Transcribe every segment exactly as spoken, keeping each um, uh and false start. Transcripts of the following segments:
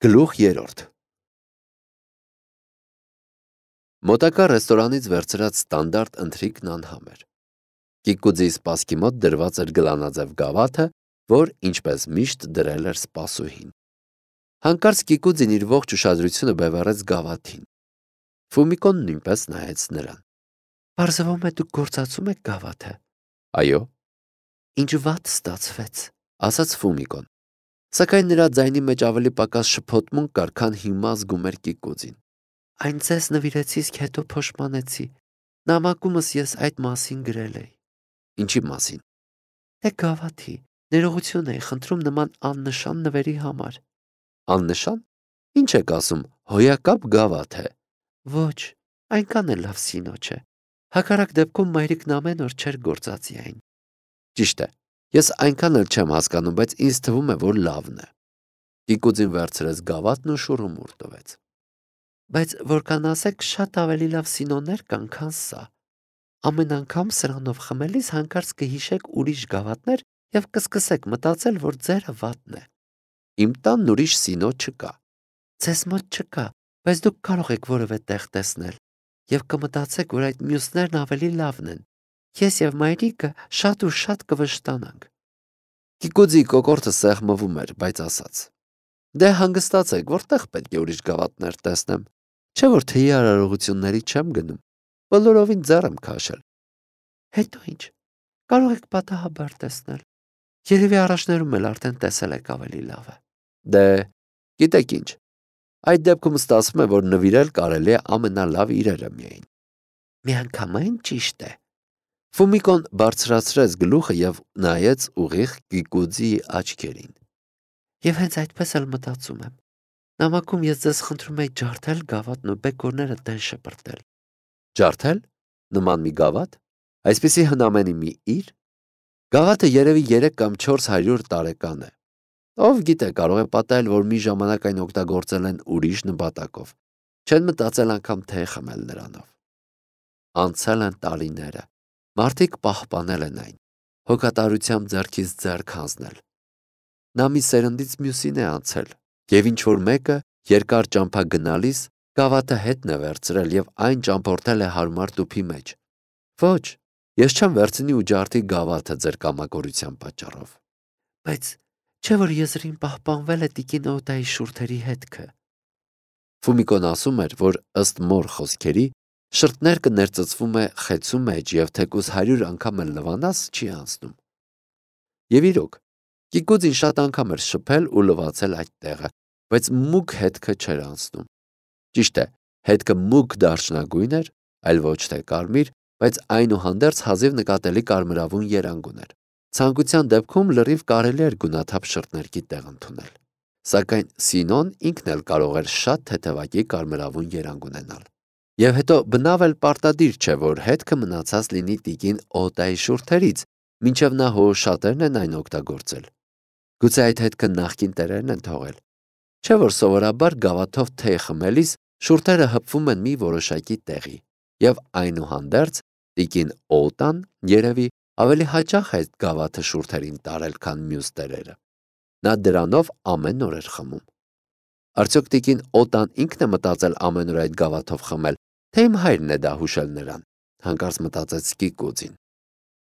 Գլուխ երրորդ Մոտակա ռեստորանից վերցրած ստանդարտ ընթրիքն անհամ էր։ Կիկուձի սպասքի մոտ դրված էր գլանաձև գավաթը, որ ինչպես միշտ դրել էր սպասուհին։ Հանկարծ Կիկուձին իր ողջ ուշադրությունը բևեռեց գավաթին։ Ֆումիկոն նույնպես նայեց նրան։ Պարզվում է դուք գործածում եք գավաթը։ Այո։ Ինչ վատ ստացվեց, ասաց Ֆումիկոն։ Սակայն նրա ձայնի մեջ ավելի պակաս շփոթմունք կար, քան հիմա զգում էր Կիկուձին։ Այն ձեզ նվիրեցի, իսկ հետո փոշմանեցի։ Նամակումս ես այդ մասին գրել էի։ Ինչի մասին։ Դե գավաթի, ներողություն էի խնդրում նման աննշան նվերի համար։ Աննշան։ Ինչ եք ասում, հոյակապ գավաթ է։ Ոչ, այնքան էլ լավ սինո չէ։ Հակառակ դեպքում մայրիկն ամեն օր չէր գործածի այն։ Ճիշտ է, ես այնքան էլ չեմ հասկանում, բայց ինձ թվում է, որ լավն է։ Կիկուձին վերցրեց գավաթն ու շուռումուռ տվեց։ Բայց որքան ասեք, շատ ավելի լավ սինոներ կան, քան սա։ Ամեն անգամ սրանով խմելիս հանկարծ կհիշեք ուրիշ գավաթներ եւ կսկսեք մտածել, որ ձերը վատն է։ Իմ տանն ուրիշ սինո չկա։ Ձեզ մոտ չկա, բայց դուք կարող եք որևէ տեղ տեսնել եւ կմտածեք, որ այդ մյուսներն ավելի լավն են։ Ես եւ մայրիկը շատ ու շատ կվշտանանք։ Կիկուձի կոկորդը սեղմվում էր, բայց ասաց. Դե հանգստացեք, որտեղ պետք է ուրիշ գավաթներ տեսնեմ։ Չէ՞ որ թեյի արարողությունների չեմ գնում։ Բոլորովին ձեռ եմ քաշել։ Հետո ինչ։ Կարող եք պատահաբար տեսնել։ Երևի առաջներում էլ արդեն տեսել եք ավելի լավը։ Դե, գիտեք ինչ։ Այդ դեպքում ստացվում է, որ նվիրել կարելի է ամենալավ իրերը միայն։ Միանգամայն ճիշտ է։ Ֆումիկոն բարձրացրեց գլուխը եւ նայեց ուղիղ Կիկուձի աչքերին։ Եվ հենց այդպես էլ մտածում եմ։ Նամակում ես ձեզ խնդրում եի ջարդել գավաթն ու բեկորները տեն շպրտել։ Ջարդել։ Նման մի գավաթ։ Այսպիսի հնամենի մի իր։ Գավաթը երևի երեք կամ չորս հարյուր տարեկան է։ Ով գիտե, կարող է պատահել, որ մի ժամանակ այն օգտագործել են ուրիշ նպատակով։ Չեն մտածել անգամ թե խմել նրանով։ Անցել են տարիները։ Մարդիկ պահպանել են այն։ Հոգատարությամբ ձեռքից ձեռք հանձնել։ Նա մի սերնդից մյուսին է անցել, եւ ինչ որ մեկը երկար ճամփա գնալիս գավաթը հետն է վերցրել եւ այն ճամփորդել է հարմար տուփի մեջ։ Ոչ, ես չեմ վերցնի ու ջարդի գավաթը ձեր կամակորության պատճառով։ Բայց չէ՞ որ եզրին պահպանվել է տիկին Օդայի շուրթերի հետքը։ Ֆումիկոն ասում էր, որ ըստ մոր խոսքերի շրթներկը ներծծվում է խեցու մեջ եւ թեկուզ հարյուր անգամ էլ լվանաս չի անցնում։ Եվ իրոք, Կիկուձին շատ անգամ էր շփել ու լվացել այդ տեղը, բայց մուգ հետքը չէր անցնում։ Ճիշտ է, հետքը մուգ դարչնագույն էր, այլ ոչ թե կարմիր, բայց այնուհանդերձ հազիվ նկատելի կարմրավուն երանգ ուներ։ Ցանկության դեպքում լրիվ կարելի էր գունաթափ շրթներկի տեղ ընդունել։ Սակայն Սինոն ինքն էլ կարող էր շատ թեթևակի կարմրավուն երանգ ունենալ։ Եվ հետո բնավ էլ պարտադիր չէ, որ հետքը մնացած լինի տիկին Օդայի շուրթերից, մինչև նա հորշատերն են այն օգտագործել։ Գուցե այդ հետքը նախկին տերերն են թողել։ Չէ՞ որ սովորաբար գավաթով թեյ խմելիս շուրթերը հպվում են մի որոշակի տեղի, եւ այնուհանդերձ տիկին Օդան երևի ավելի հաճախ այդ գավաթը շուրթերին տարել, քան մյուս տերերը։ Նա դրանով ամեն օր էր խմում։ Արդյոք տիկին Օդան ինքն է մտածել ամեն օր այդ գավաթով խմել, թե իմ հայրն է դա հուշել նրան, հանկարծ մտածեց Կիկուձին։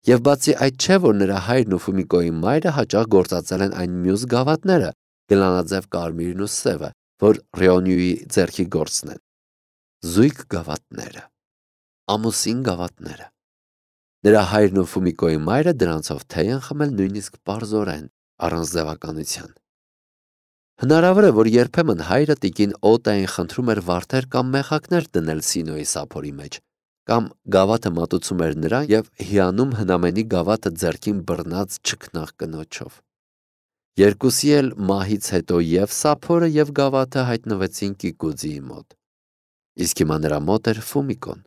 Եվ բացի այդ չէ, որ նրա հայրն ու Ֆումիկոյի մայրը հաճախ գործածել են այն մյուս գավաթները, գլանաձև կարմիրն ու սևը, որ Ռեոնյուի ձեռքի գործն են։ Զույգ գավաթները, ամուսին գավաթները։ Նրա հայրն ու Ֆումիկոյի մայրը դրանցով թեյ են խմել նույնիսկ պարզորեն, առանց ձևականության։ Հնարավոր է, որ երբեմն հայրը տիկին Օդային խնդրում էր վարդեր կամ մեխակներ դնել Սինոյի սափորի մեջ, կամ գավաթը մատուցում էր նրան եւ հիանում հնամենի գավաթը ձեռքին բռնած չքնաղ կնոջով։ Երկուսի էլ մահից հետո եւ սափորը եւ գավաթը հայտնվեցին Կիկուձիի մոտ։ Իսկ հիմա նրա մոտ էր Ֆումիկոն,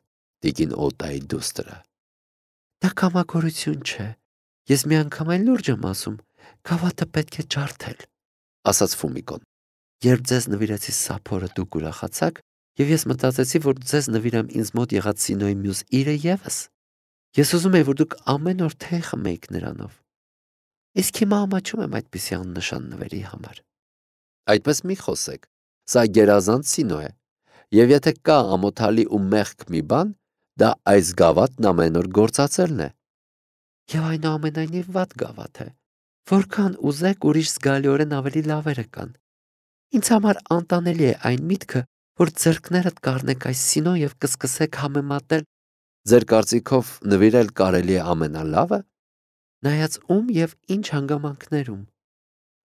տիկին Օդայի դուստրը։ Դա կամակորություն չէ։ Ես մի անգամ այն լուրջ եմ ասում, գավաթը պետք է ջարդել, ասաց Ֆումիկոն։ Երբ ձեզ նվիրեցի սափորը, դուք ուրախացաք, եւ ես մտածեցի, որ ձեզ նվիրեմ ինձ մոտ եղած Սինոյի մյուս իրը եւս։ Ես ուզում եի, որ դուք ամեն օր թեյ խմեիք նրանով։ Իսկ հիմա ամաչում եմ այդպիսի աննշան նվերի համար։ Այդպես մի խոսեք, Սա գերազանց սինո է, և եթե կա ամոթալի ու մեղք մի բան, դա այս գավաթն ամեն օր գործածելն է։ Եվ այնուամենայնիվ վատ գավաթ է, որքան ուզեք ուրիշ զգալիորեն ավելի լավերը կան։ Ինձ համար անտանելի է այն միտքը, որ ձեռքներդ կառնեք այս սինո և կսկսեք համեմատել։ Ձեր կարծիքով նվիրել կարելի է ամենալավը։ Նայած ում և ինչ հանգամանքներում։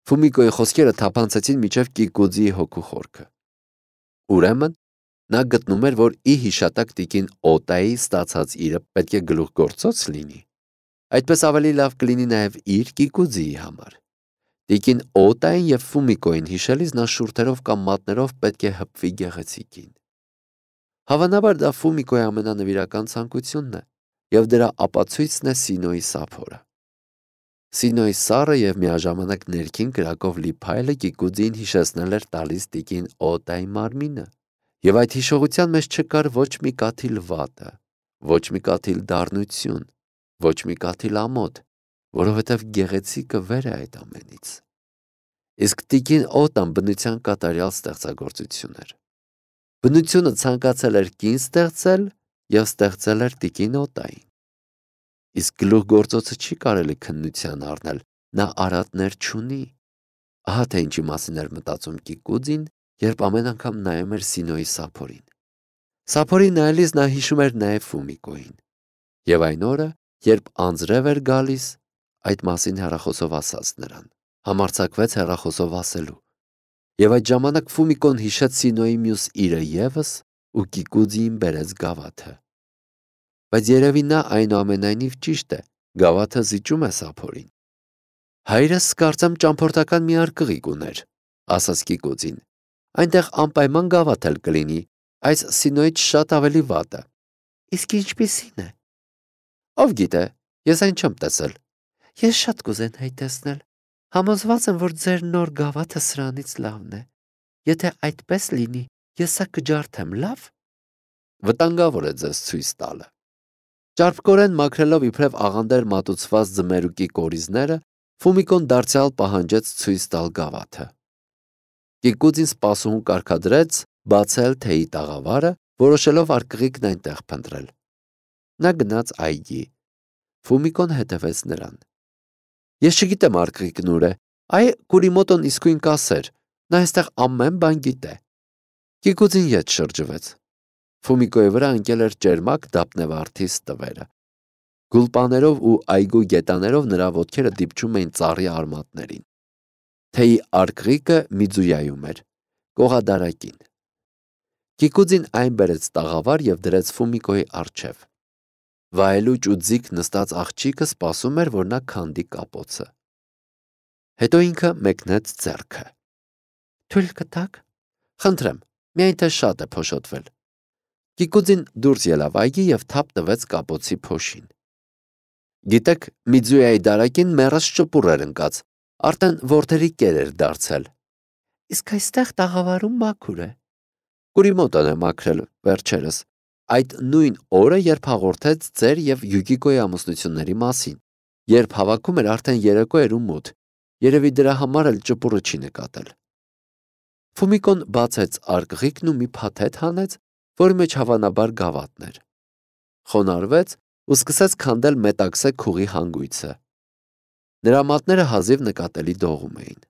Ֆումիկոյի խոսքերը թափանցեցին մինչև Կիկուձիի հոգու խորքը։ Ուրեմն նա գտնում էր, որ ի հիշատակ տիկին Օտայի ստացած իրը պետք է գլուխգործոց լինի։ Այդպես ավելի լավ կլինի նաև իր Կիկուձիի համար։ Տիկին Օտային և Ֆումիկոյին հիշելիս նա շուրթերով կամ մատներով պետք է հպվի գեղեցիկին։ Հավանաբար դա Ֆումիկոյի ամենանվիրական ցանկությունն է, և դրա ապացույցն է Սինոյի սափորը։ Սինոյի սառը և միաժամանակ ներքին կրակով լի փայլը Կիկուձիին հիշեցնել էր տալիս տիկին Օտայի մարմինը, և այդ հիշողության մեջ չկար ոչ մի կաթիլ վատը, ոչ մի կաթիլ դառնություն, ոչ մի կաթիլ ամոթ, որովհետև գեղեցիկը վեր է այդ ամենից։ Իսկ տիկին Օտան բնության կատարյալ ստեղծագործություն էր։ Բնությունը ցանկացել էր կին ստեղծել և ստեղծել էր տիկին Օտային։ Իսկ գլուխգործոցը չի կարելի քննության առնել, նա արատներ չունի։ Ահա թե ինչի մասին էր մտածում Կիկուձին, երբ ամեն անգամ նայում էր Սինոյի սափորին։ Սափորին նայելիս նա հիշում էր նաև Ֆումիկոյին։ Եվ այն օրը, երբ անձրև էր գալիս, այդ մասին հեռախոսով ասաց նրան, համարձակվեց հեռախոսով ասելու։ Եվ այդ ժամանակ Ֆումիկոն հիշեց Սինոյի մյուս իրը ևս ու Կիկուձիին բերեց գավաթը։ Բայց երևի նա այնուամենայնիվ ճիշտ է, գավաթը զիջում է սափորին։ Հայրս կարծեմ ճամփորդական մի արկղիկ ուներ, ասաց Կիկուձին։ Այնտեղ անպայման գավաթ էլ կլինի, այս Սինոյից շատ ավելի վատը։ Իսկ ինչպիսի՞ն է։ Ով գիտե, ես այն չեմ տեսել։ Ես շատ կուզենայի տեսնել։ Համոզված եմ, որ ձեր նոր գավաթը սրանից լավն է։ Եթե այդպես լինի, ես սա կջարդեմ, լավ։ Վտանգավոր է ձեզ ցույց տալը։ Ճարպկորեն մաքրելով իբրև աղանդեր մատուցված ձմերուկի կորիզները, Ֆումիկոն դարձյալ պահանջեց ցույց տալ գավաթը։ Կիկուձին սպասուհուն կարգադրեց բացել թեյի տաղավարը, որոշելով արկղիկն այնտեղ փնտրել։ Նա գնաց այգի։ Ֆումիկոն հետևեց նրան։ Ես չգիտեմ արկղիկն ուր է, այ Կուրիմոտոն իսկույն կասեր, նա այստեղ ամեն բան գիտե։ Կիկուձին ետ շրջվեց։ Ֆումիկոյի վրա ընկել էր ճերմակ դափնեվարդի ստվերը։ Գուլպաներով ու այգու գետաներով նրա ոտքերը դիպչում էին ծառի արմատներին։ Թեյի արկղիկը Միձույայում էր, կողադարակին։ Կիկուձին այն բերեց տաղավար և դրեց Ֆումիկոյի առջև։ Վայելուչ ու ձիգ նստած աղջիկը սպասում էր, որ նա քանդի կապոցը։ Հետո ինքը մեկնեց ձեռքը։ Թույլ կտաք։ Խնդրեմ, միայն թե շատ է փոշոտվել։ Կիկուձին դուրս ելավ այգի և թափ տվեց կապոցի փոշին։ Գիտեք, Միձույայի դարակին մեռած ճպուռ էր ընկած, արդեն որդերի կեր էր դարձել։ Իսկ այստեղ տաղավարում մաքուր է։ Կուրիմոտոն է մաքրել վերջերս, այդ նույն օրը, երբ հաղորդեց ձեր և Յուկիկոյի ամուսնությունների մասին, երբ հավաքում էր արդեն երեկո էր ու մութ, երևի դրա համար էլ ճպուռը չի նկատել։ Ֆումիկոն բացեց արկղիկն ու մի փաթեթ հանեց, որի մեջ հավանաբար գավաթն էր։ Խոնարհվեց ու սկսեց քանդել մետաքսե քուղի հանգույցը։ Նրա մատները հազիվ նկատելի դողում էին։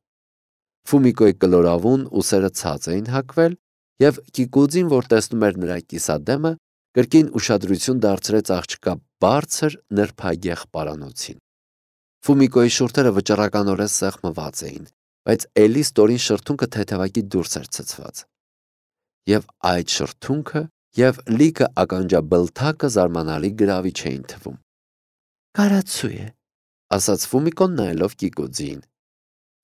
Ֆումիկոյի կլորավուն ուսերը ցած էին հագվել, և Կիկուձին, որ տեսնում էր նրա կիսադեմը, կրկին ուշադրություն դարձրեց աղջկա բարձր նրբագեղ պարանոցին։ Ֆումիկոյի շուրթերը վճռականորեն սեղմված էին, բայց էլի ստորին շրթունքը թեթևակի դուրս էր ցցված։ Եվ այդ շրթունքը և լիքը ականջաբլթակը զարմանալի գրավիչ էին թվում։ Կարացու է, ասաց Ֆումիկոն նայելով Կիկուձիին։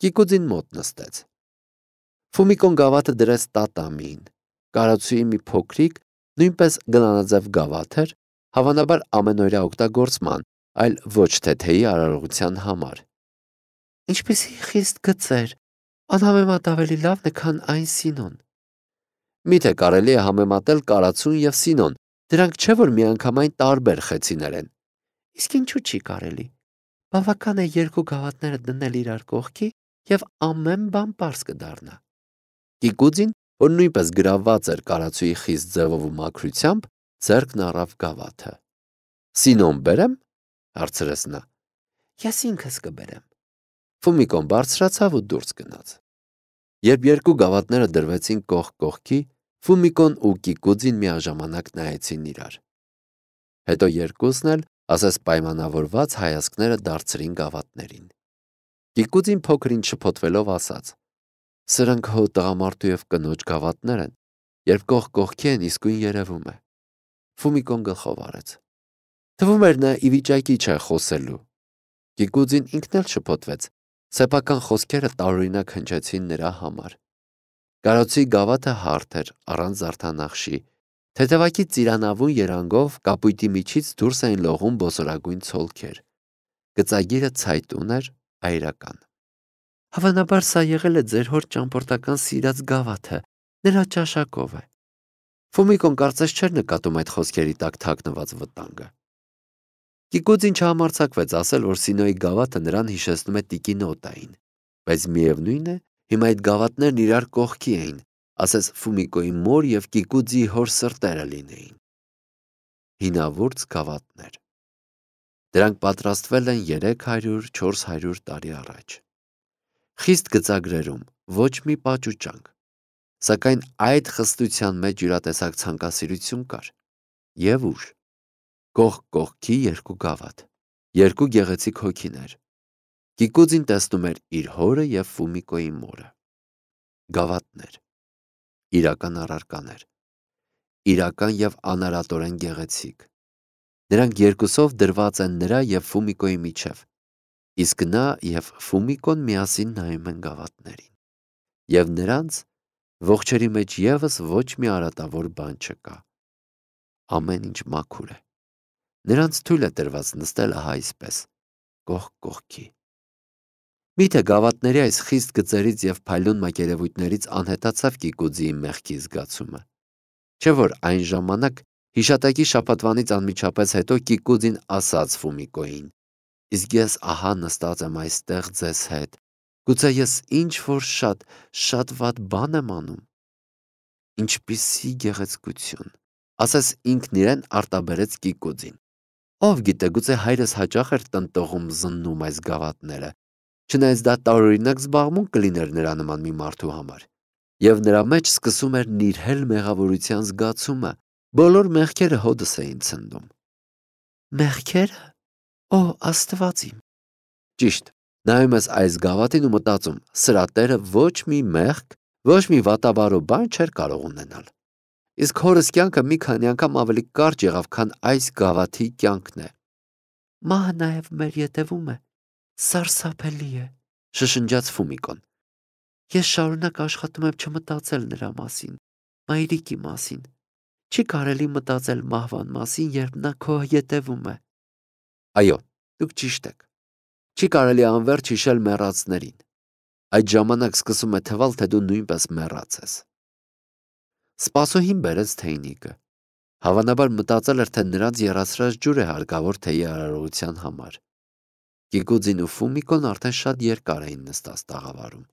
Կիկուձին մոտ նստեց։ Ֆումիկոն գավաթը դրեց տատամիին։ Կարացուի մի փոքրիկ, նույնպես գլանաձև գավաթ էր, հավանաբար ամենօրյա օգտագործման, այլ ոչ թե թեյի արարողության համար։ Ինչպիսի խիստ գծեր, անհամեմատ ավելի լավն է, քան այն Սինոն։ Միթե կարելի է համեմատել կարացուն և Սինոն, դրանք չէ որ միանգամայն տարբեր խեցիներ են։ Իսկ ինչու չի կարելի։ Բավական է երկու գավաթները դնել իրար կողքի, և ամեն բան պարզ կդառնա։ Կիկուձին որ նույնպես գրավված էր կարացուի խիստ ձևով ու մաքրությամբ, ձեռքն առավ գավաթը։ «Սինոն բերեմ», հարցրեց նա։ «Ես ինքս կբերեմ»։ Ֆումիկոն բարձրացավ ու դուրս գնաց։ Երբ երկու գավաթները դրվեցին կողք կողքի, Ֆումիկոն ու Կիկուձին միաժամանակ նայեցին իրար։ Հետո երկուսն էլ ասես պայմանավորված հայացքները դարձրին գավաթներին։ Կիկուձին փոքր-ինչ շփոթվելով ասաց. «Սրանք հո տղամարդու և կնոջ գավաթներ են, երբ կողք կողքի են, իսկույն երևում է»։ Ֆումիկոն գլխով արեց։ Թվում էր նա ի վիճակի չէ խոսելու։ Կիկուձին ինքն էլ շփոթվեց, սեփական խոսքերը տարօրինակ հնչեցին նրա համար։ Կարոցի գավաթը հարթ էր, առանց զարդանախշի, թեթևակի ծիրանավուն երանգով կապույտի միջից դուրս էին լողում բոսորագույն ցոլքեր։ Գծագիրը ցայտուն էր, այրական։ «Հավանաբար սա եղել է ձեր հոր ճամփորդական սիրած գավաթը, նրա ճաշակով է»։ Ֆումիկոն կարծես չէր նկատում այդ խոսքերի տակ թաքնված վտանգը։ Կիկուձին չհամարձակվեց ասել, որ Սինոյի գավաթը նրան հիշեցնում է տիկին Օտային, բայց միևնույն է, հիմա այդ գավաթներն իրար կողքի էին, ասես Ֆումիկոյի մոր և Կիկուձիի հոր սրտերը լինեին։ Հինավուրց գավաթներ։ Դրանք պատրաստվել են երեք հարյուր չորս հարյուր տարի առաջ։ Խիստ գծագրերում, ոչ մի պաճուճանք, սակայն այդ խստության մեջ յուրատեսակ ցանկասիրություն կար։ Եվ ուժ։ Կողք կողքի երկու գավաթ, երկու գեղեցիկ հոգիներ։ Կիկուձին տեսնում էր իր հորը և Ֆումիկոյի մորը։ Գավաթներ։ Իրական առարկաներ։ Իրական և անարատորեն գեղեցիկ։ Նրանք երկուսով դրված են նրա և Ֆումիկոյի միջև, իսկ նա և Ֆումիկոն միասին նայում են գավաթներին։ Եվ նրանց ողջերի մեջ ևս ոչ մի արատավոր բան չկա։ Ամեն ինչ մաքուր է։ Նրանց թույլ է տրված նստել ահա այսպես, կողք կողքի։ Միթե գավաթների այս խիստ գծերից և փայլուն մակերևույթներից անհետացավ Կիկուձիի մեղքի զգացումը։ Չէ՞ որ այն ժամանակ հիշատակի շաբաթվանից անմիջապես հետո Կիկուձին ասաց Ֆումիկոյին. «Իսկ ես ահա նստած եմ այստեղ ձեզ հետ, գուցե ես ինչ-որ շատ, շատ վատ բան եմ անում»։ Ինչպիսի գեղեցկություն, ասես ինքն իրեն արտաբերեց Կիկուձին։ Ով գիտե, գուցե հայրս հաճախ էր տնտողում զննում այս գավաթները, չնայած դա տարօրինակ զբաղմունք կլիներ նրա նման մի մարդու համար։ Եվ նրա մեջ սկսում էր նիրհել մեղավորության զգացումը, բոլոր մեղքերը հօդս էին ցնդում։ Մեղքե՞րը։ Օ, Աստված իմ։ Ճիշտ, նայում ես այս գավաթին ու մտածում, սրա տերը ոչ մի մեղք, ոչ մի վատաբարո բան չէր կարող ունենալ։ Իսկ հորս կյանքը մի քանի անգամ ավելի կարճ եղավ, քան այս գավաթի կյանքն է։ Մահը նաև մեր ետևում է, սարսափելի է, շշնջաց Ֆումիկոն։ Ես շարունակ աշխատում եմ չմտածել նրա մասին, մայրիկի մասին։ Չի կարելի մտածել մահվան մասին, երբ նա քո ետևում է։ Այո, դուք ճիշտ եք։ Չի կարելի անվերջ հիշել մեռածներին։ Այդ ժամանակ սկսում է թվալ, թե դու նույնպես մեռած ես։ Սպասուհին բերեց թեյնիկը։ Հավանաբար մտածել էր, թե նրանց եռացրած ջուր է հարկավոր թեյի արարողության համար։ Կիկուձին ու Ֆումիկոն արդեն շատ երկար էին նստած տաղավարում։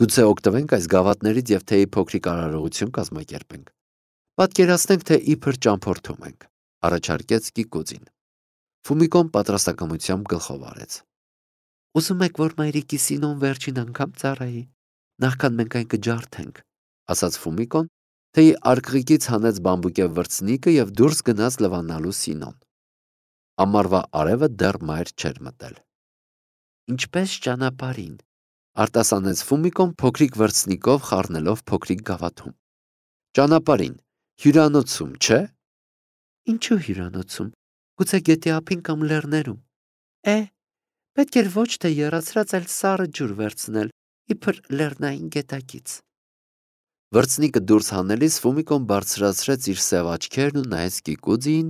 Գուցե օգտվենք այս գավաթներից և թեյի փոքրիկ արարողություն կազմակերպենք։ Պատկերացնենք, թե իբր ճամփորդում ենք, առաջարկեց Կիկուձին։ Ֆումիկոն պատրաստակամությամբ գլխով արեց։ Ուզում եք, որ մայրիկի Սինոն վերջին անգամ ծառայի, նախքան մենք այն կջարդենք, ասաց Ֆումիկոն, թեյի արկղիկից հանեց բամբուկե վրձնիկը և դուրս գնաց լվանալու Սինոն։ Ամառվա արևը դեռ մայր չէր մտել։ Ինչպես ճանապարհին, արտասանեց Ֆումիկոն փոքրիկ վրձնիկով խառնելով փոքրիկ գավաթում։ Ճանապարհին, հյուրանոցում, չէ՞։ Ինչու հյուրանոցում, գուցե գետի ափին կամ լեռներում։ Է, պետք էր ոչ թե եռացրած, այլ սառը ջուր վերցնել, իբր լեռնային գետակից։ Վրձնիկը դուրս հանելիս Ֆումիկոն բարձրացրեց իր սև աչքերն ու նայեց Կիկուձիին,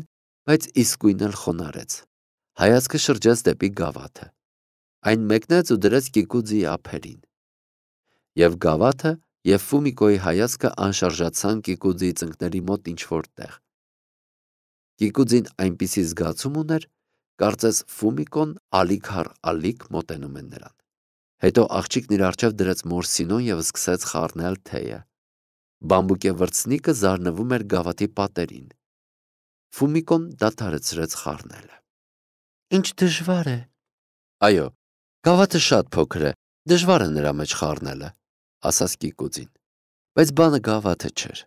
բայց իսկույն էլ խոնարհեց։ Հայացքը շրջեց դեպի գավաթը։ Այն մեկնեց ու դրեց Կիկուձիի ափերին։ Եվ գավաթը և Ֆումիկոյի հայացքը անշարժացան Կիկուձիի ծնկների մոտ ինչ-որ տեղ։ Կիկուձին այնպիսի զգացում ուներ, կարծես Ֆումիկոն ալիք առ ալիք մոտենում է նրան։ Հետո աղջիկն իր առջև դրեց մոր Սինոն և սկսեց խառնել թեյը։ Բամբուկե վրձնիկը զարնվում էր գավաթի պատերին։ Ֆումիկոն դադարեցրեց խառնելը։ Ինչ դժվար է։ Այո, գավաթը շատ փոքր է, դժվար է նրա մեջ խառնելը, ասաց Կիկուձին։ Բայց բանը գավաթը չէր։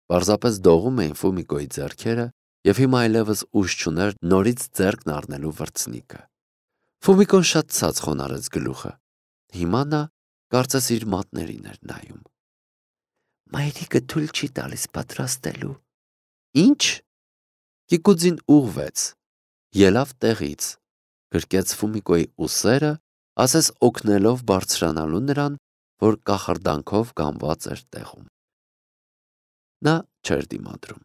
Պարզապես դողում էին Ֆումիկոյի ձեռքերը, եւ հիմա այլևս ուժ չուներ նորից ձեռքն առնելու վրձնիկը։ Ֆումիկոն շատ ցած խոնարհեց գլուխը։ Հիմա նա կարծես իր մատներին էր նայում։ Մայրիկը թույլ չի տալիս պատրաստելու։ Ինչ։ Կիկուձին ուղվեց, ելավ տեղից, գրկեց Ֆումիկոյի ուսերը, ասես օգնելով բարձրանալու նրան, որ կախարդանքով կամված էր տեղում։ Նա չէր դիմադրում։